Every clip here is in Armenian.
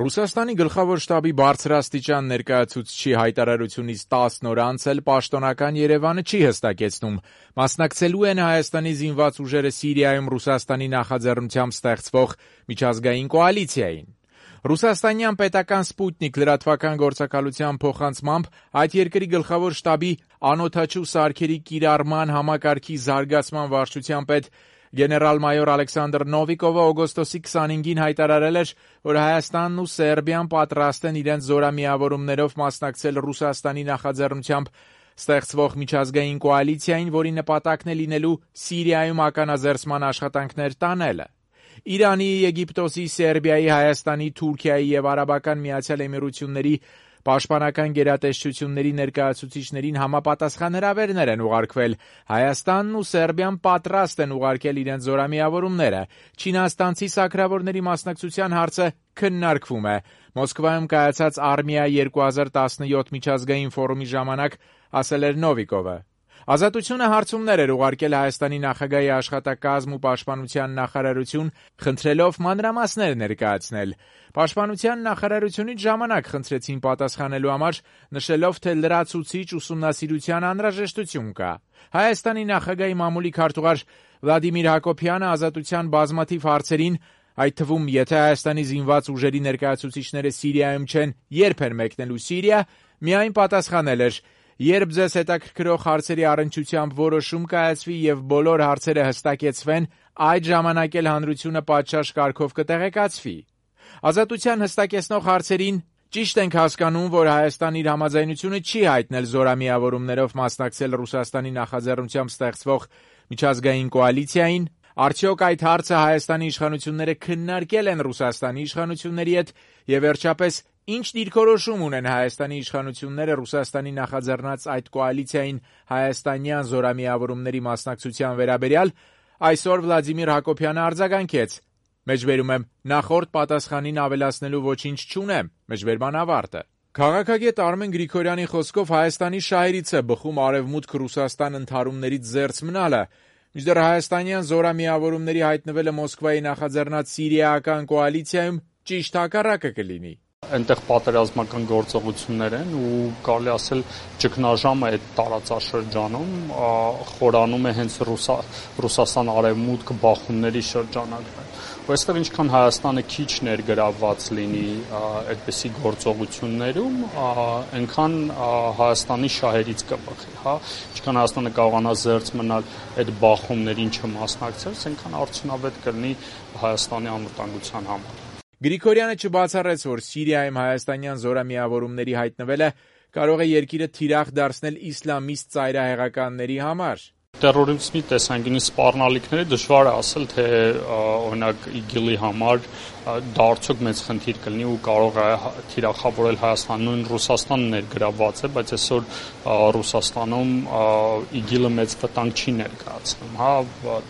Ռուսաստանի գլխավոր շտաբի բարձրաստիճան ներկայացուցչի հայտարարությունից 10 օր անց էլ պաշտոնական Երևանը չի հստակեցնում, մասնակցելու են Հայաստանի զինված ուժերը Սիրիայում Ռուսաստանի նախաձեռնությամբ ստեղծվող միջազգային կոալիցիային։ Ռուսաստանյան պետական Սպուտնիկ լրատվական գործակալության փոխանցմամբ այդ երկրի գլխավոր շտաբի անօդաչու սարքերի կիրառման համակարգի զարգացման վարչության պետ գեներալ-մայոր Ալեքսանդր Նովիկովը օգոստոսի 25-ին հայտարարել էր, որ Հայաստանն ու Սերբիան պատրաստ են իրենց զորամիավորումներով մասնակցել Ռուսաստանի նախաձեռնությամբ ստեղծվող միջազգային կոալիցիային, որի նպատակն է լինելու Սիրիայում ականազերծման աշխատանքներ տանելը։ Իրանի, Եգիպտոսի, Սերբիայի, Հայաստանի, Թուրքիայի և Արաբական Միացյալ Էմիրությունների պաշտպանական գերատեսչությունների ներկայացուցիչներին համապատասխան հրավերներ են ուղարկվել։ Հայաստանն ու Սերբիան պատրաստ են ուղարկել իրենց զորամիավորումները։ Չինաստանցի սակրավորների մասնակցության հարցը քննարկվում է։ Մոսկվայում կայացած Արմիա 2017 միջազգային ֆորումի ժամանակ ասել էր Նովիկովը։ Ազատությունը հարցումներ էր ուղարկել Հայաստանի նախագահի աշխատակազմ ու պաշտպանության նախարարություն, խնդրելով մանրամասներ ներկայացնել։ Պաշտպանության նախարարությունից ժամանակ խնդրեցին պատասխանելու համար, նշելով, թե լրացուցիչ ուսումնասիրության անհրաժեշտություն կա։ Հայաստանի նախագահի մամուլի քարտուղար Վլադիմիր Հակոբյանը ազատության բազմաթիվ հարցերին, այդ թվում, եթե Հայաստանի զինված ուժերի ներկայացուցիչները Սիրիայում չեն, երբ են մեկնելու Սիրիա, միայն պատասխանել էր. «Երբ ձեզ հետաքրքրող հարցերի առնչությամբ որոշում կայացվի եւ բոլոր հարցերը հստակեցվեն, այդ ժամանակ էլ հանրությունը պատշաճ կարգով կտեղեկացվի»։ Ազատության հստակեցնող հարցերին ճիշտ ենք հասկանում, որ Հայաստանն իր համաձայնությունը չի հայտնել զորամիավորումներով մասնակցել Ռուսաստանի նախաձեռնությամբ ստեղծվող միջազգային կոալիցիային։ Արդյոք այդ հարցը Հայաստանի իշխանությունները քննարկել են Ռուսաստանի իշխանությունների հետ եւ վերջապես ինչ դիրքորոշում ունեն Հայաստանի իշխանությունները Ռուսաստանի նախաձեռնած այդ կոալիցիային հայաստանյան զորամիավորումների մասնակցության վերաբերյալ, այսօր Վլադիմիր Հակոբյանը արձագանքեց. Մեջբերում եմ, նախորդ պատասխանին ավելացնելու ոչինչ չունեմ, մեջբերման ավարտը։ Քաղաքագետ Արմեն Գրիգորյանի խոսքով Հայաստանի շահերից է բխում Արևմուտք Ռուսաստան ընդհարումներից զերծ մնալը, մինչդեռ հայաստանյան զորամիավորումների հայտնվելը Մոսկվայի նախաձեռնած Սիրիայական կոալիցիայում ճիշտ հակառակը կլինի։ Այնտեղ պատերազմական գործողություններ են ու կարելի ասել ճգնաժամը այդ տարածաշրջանում խորանում է հենց Ռուսաստան արևմուտք բախումների շրջանակն է։ Այստեղ ինչքան Հայաստանը քիչ ներգրավված լինի այդպիսի գործողություններում, այնքան Հայաստանի շահերից կբխի, հա, ինչքան Հայաստանը կարողանա զերծ մնալ այդ բախումներին չմասնակցել, այնքան արդյունավետ կլինի Հայաստանի անվտանգության համար։ Գրիգորյանը չբացառեց, որ Սիրիայում հայաստանյան զորամիավորումների հայտնվելը կարող է երկիրը թիրախ դարձնել իսլամիստ ծայրահեղականների համար։ Տերորիզմի տեսանկյունից սպառնալիքները դժվար է ասել, թե օրինակ ԻԳԻԼ-ի համար դա արդյոք մեծ խնդիր կլինի ու կարող է թիրախավորել Հայաստանը, նույն Ռուսաստանը ներգրավված է, բայց այսօր Ռուսաստանում ԻԳԻԼ-ը մեծ վտանգ չի ներկայացնում, հա,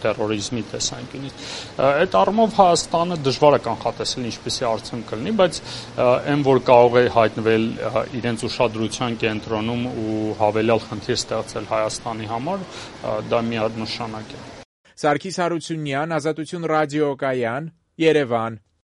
տերորիզմի տեսանկյունից։ Այդ առումով Հայաստանը դժվար է կանխատեսել ինչպիսի արդյունք կլինի, բայց այն որ կարող է հայտնվել իրենց ուշադրության կենտրոնում ու հավելյալ խնդիր ստեղծել Հայաստանի համար, դա միանշանակ է։ Սարգիս Հարությունյան, Ազատություն ռադիոկայան, Երևան։